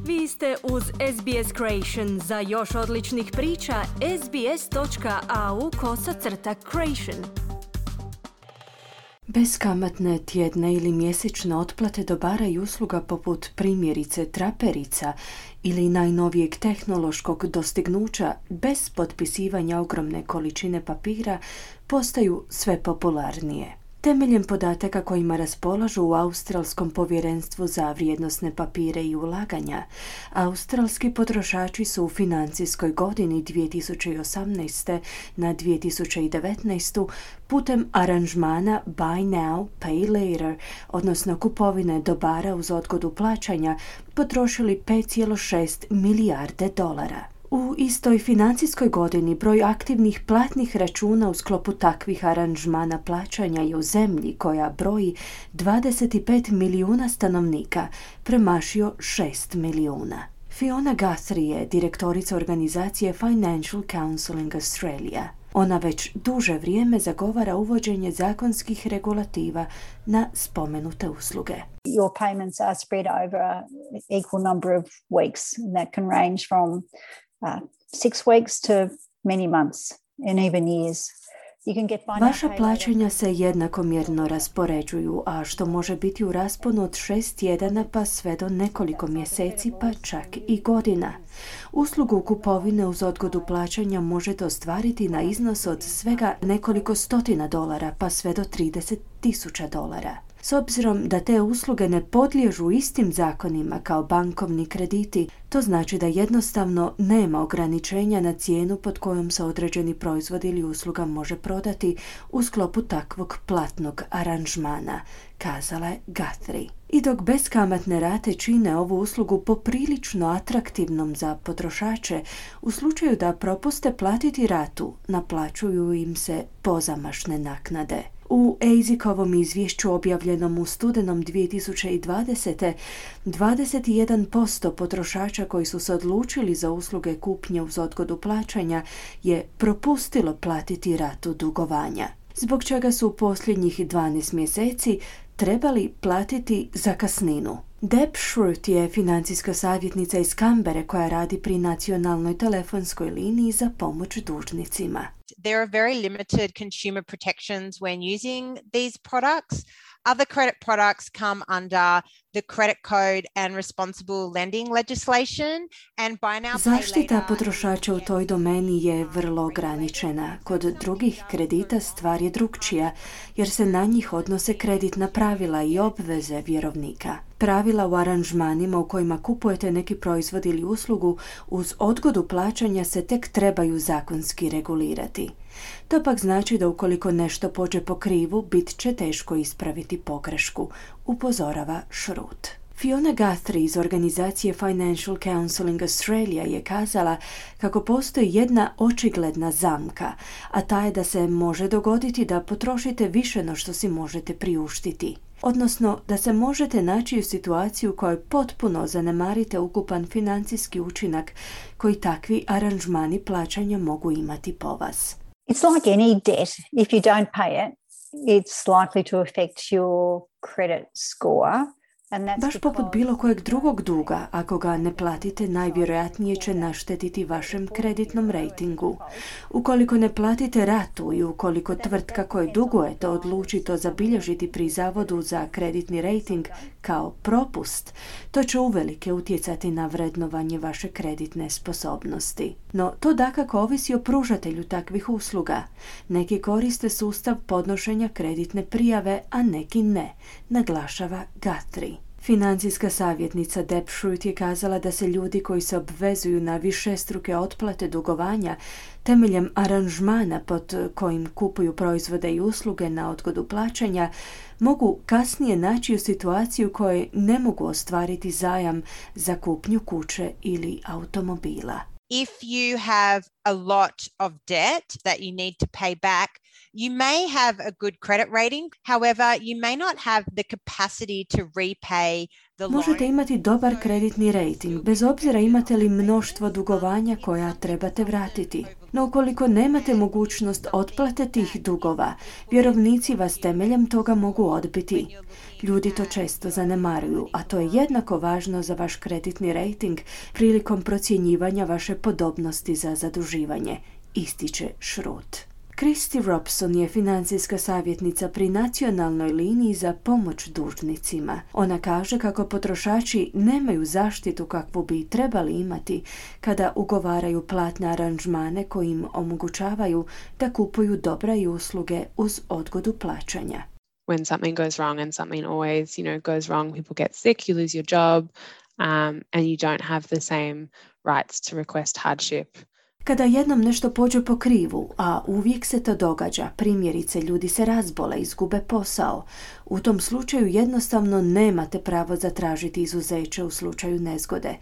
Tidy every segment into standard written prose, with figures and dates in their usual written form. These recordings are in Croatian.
Vi ste uz SBS Creation. Za još odličnih priča, sbs.au/creation. Beskamatne tjedne ili mjesečne otplate dobara i usluga poput primjerice traperica ili najnovijeg tehnološkog dostignuća bez potpisivanja ogromne količine papira postaju sve popularnije. Temeljem podataka kojima raspolažu u Australskom povjerenstvu za vrijednosne papire i ulaganja, australski potrošači su u financijskoj godini 2018. na 2019. putem aranžmana Buy Now, Pay Later, odnosno kupovine dobara uz odgodu plaćanja, potrošili 5,6 milijarde dolara. U istoj financijskoj godini broj aktivnih platnih računa u sklopu takvih aranžmana plaćanja je u zemlji koja broji 25 milijuna stanovnika premašio 6 milijuna. Fiona Guthrie je direktorica organizacije Financial Counselling Australia. Ona već duže vrijeme zagovara uvođenje zakonskih regulativa na spomenute usluge. Your payments are spread over an equal number of weeks, and that can range from 6 weeks to many months and even years. Vaša plaćanja se jednakomjerno raspoređuju, a što može biti u rasponu od 6 tjedana pa sve do nekoliko mjeseci pa čak i godina. Uslugu kupovine uz odgodu plaćanja možete ostvariti na iznos od svega nekoliko stotina dolara pa sve do $30,000. S obzirom da te usluge ne podliježu istim zakonima kao bankovni krediti, to znači da jednostavno nema ograničenja na cijenu pod kojom se određeni proizvod ili usluga može prodati u sklopu takvog platnog aranžmana, kazala je Guthrie. I dok beskamatne rate čine ovu uslugu poprilično atraktivnom za potrošače, u slučaju da propuste platiti ratu, naplaćuju im se pozamašne naknade. U ASIC-ovom izvješću objavljenom u studenom 2020. 21% potrošača koji su se odlučili za usluge kupnje uz odgodu plaćanja je propustilo platiti ratu dugovanja, zbog čega su u posljednjih 12 mjeseci trebali platiti zakasninu. Deb Schrute je financijska savjetnica iz Canberre koja radi pri nacionalnoj telefonskoj liniji za pomoć dužnicima. There are very limited consumer protections when using these products. Other credit products come under the credit code and responsible lending legislation and buy now pay later. Zaštita potrošača u toj domeni je vrlo ograničena. Kod drugih kredita stvar je drukčija jer se na njih odnose kreditna pravila i obveze vjerovnika. Pravila u aranžmanima u kojima kupujete neki proizvod ili uslugu uz odgodu plaćanja se tek trebaju zakonski regulirati. To pak znači da ukoliko nešto pođe po krivu, bit će teško ispraviti pogrešku, upozorava Schrute. Fiona Guthrie iz organizacije Financial Counselling Australia je kazala kako postoji jedna očigledna zamka, a ta je da se može dogoditi da potrošite više no što si možete priuštiti. Odnosno da se možete naći u situaciju u kojoj potpuno zanemarite ukupan financijski učinak koji takvi aranžmani plaćanja mogu imati po vas. It's like any debt. If you don't pay it, it's likely to affect your credit score. Baš poput bilo kojeg drugog duga, ako ga ne platite, najvjerojatnije će naštetiti vašem kreditnom rejtingu. Ukoliko ne platite ratu i ukoliko tvrtka koju dugujete odluči to zabilježiti pri Zavodu za kreditni rejting kao propust, to će uvelike utjecati na vrednovanje vaše kreditne sposobnosti. No, to dakako ovisi o pružatelju takvih usluga. Neki koriste sustav podnošenja kreditne prijave, a neki ne, naglašava Guthrie. Financijska savjetnica Deb Schrute je kazala da se ljudi koji se obvezuju na višestruke otplate dugovanja temeljem aranžmana pod kojim kupuju proizvode i usluge na odgodu plaćanja mogu kasnije naći u situaciju u kojoj ne mogu ostvariti zajam za kupnju kuće ili automobila. If you have a lot of debt that you need to pay back, you may have a good credit rating. However, you may not have the capacity to repay the loan. Možete imati dobar kreditni rejting, bez obzira imate li mnoštvo dugovanja koja trebate vratiti. No ukoliko nemate mogućnost otplate tih dugova, vjerovnici vas temeljem toga mogu odbiti. Ljudi to često zanemaruju, a to je jednako važno za vaš kreditni rejting prilikom procjenjivanja vaše podobnosti za zaduživanje, ističe Schrute. Christy Robson je financijska savjetnica pri nacionalnoj liniji za pomoć dužnicima. Ona kaže kako potrošači nemaju zaštitu kakvu bi trebali imati kada ugovaraju platne aranžmane koji im omogućavaju da kupuju dobra i usluge uz odgodu plaćanja. When something goes wrong, and something always, goes wrong, people get sick, you lose your job, and you don't have the same rights to request hardship. Kada jednom nešto pođe po krivu, a uvijek se to događa, primjerice ljudi se razbole, izgube posao, u tom slučaju jednostavno nemate pravo zatražiti izuzeće u slučaju nezgode.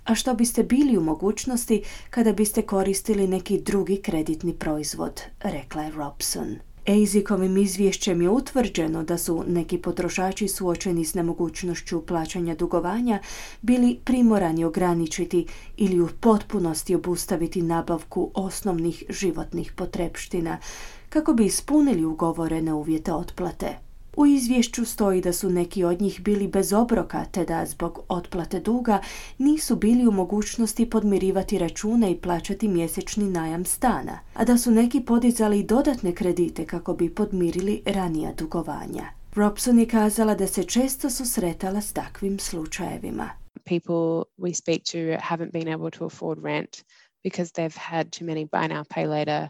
A što biste bili u mogućnosti kada biste koristili neki drugi kreditni proizvod, rekla je Robson. ASIC-ovim izvješćem je utvrđeno da su neki potrošači suočeni s nemogućnošću plaćanja dugovanja bili primorani ograničiti ili u potpunosti obustaviti nabavku osnovnih životnih potrepština kako bi ispunili ugovorene uvjete otplate. U izvješću stoji da su neki od njih bili bez obroka, te da zbog otplate duga nisu bili u mogućnosti podmirivati račune i plaćati mjesečni najam stana, a da su neki podizali dodatne kredite kako bi podmirili ranija dugovanja. Robson je kazala da se često susretala s takvim slučajevima. People we speak to haven't been able to afford rent because they've had too many buy now, pay later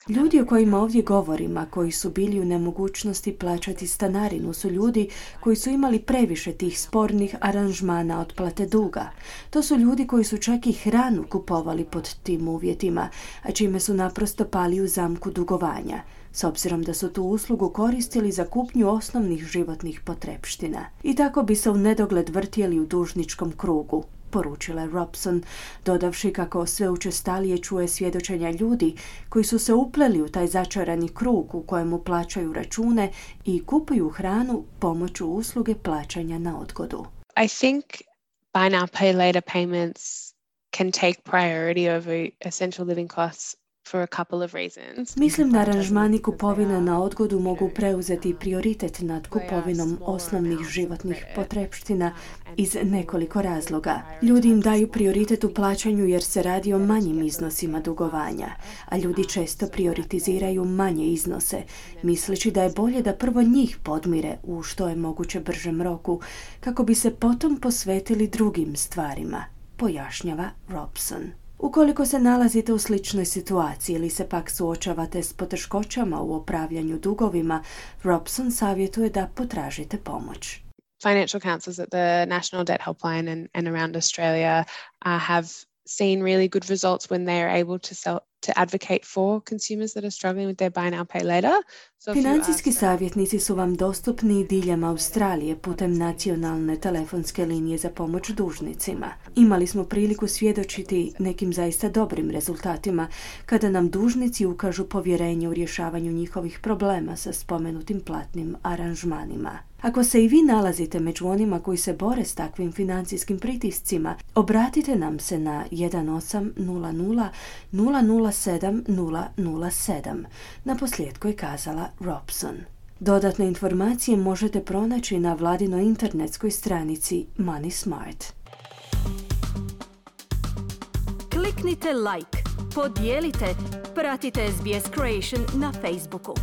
Ljudi o kojima ovdje govorimo, koji su bili u nemogućnosti plaćati stanarinu, su ljudi koji su imali previše tih spornih aranžmana otplate duga. To su ljudi koji su čak i hranu kupovali pod tim uvjetima, a čime su naprosto pali u zamku dugovanja, s obzirom da su tu uslugu koristili za kupnju osnovnih životnih potrepština. I tako bi se u nedogled vrtjeli u dužničkom krugu, poručila je Robson, dodavši kako sve učestalije čuje svjedočenja ljudi koji su se upleli u taj začarani krug u kojemu plaćaju račune i kupuju hranu pomoću usluge plaćanja na odgodu. I think buy now, pay later payments can take priority over essential living costs for a couple of reasons. Mislim da aranžmani kupovina na odgodu mogu preuzeti prioritet nad kupovinom osnovnih životnih potrepština iz nekoliko razloga. Ljudi im daju prioritet u plaćanju jer se radi o manjim iznosima dugovanja, a ljudi često prioritiziraju manje iznose, misleći da je bolje da prvo njih podmire u što je moguće bržem roku, kako bi se potom posvetili drugim stvarima, pojašnjava Robson. Ukoliko se nalazite u sličnoj situaciji ili se pak suočavate s poteškoćama u upravljanju dugovima, Robson savjetuje da potražite pomoć. Financial counsellors at the National Debt Helpline and around Australia have seen really good results when they are able to advocate for consumers that are struggling with their buy now, pay later. Financijski savjetnici su vam dostupni diljem Australije putem nacionalne telefonske linije za pomoć dužnicima. Imali smo priliku svjedočiti nekim zaista dobrim rezultatima kada nam dužnici ukažu povjerenje u rješavanju njihovih problema sa spomenutim platnim aranžmanima. Ako se i vi nalazite među onima koji se bore s takvim financijskim pritiscima, obratite nam se na 1800 007 007. Naposljetku je kazala Robson. Dodatne informacije možete pronaći na vladinoj internetskoj stranici Money Smart. Kliknite like, podijelite, pratite SBS Creation na Facebooku.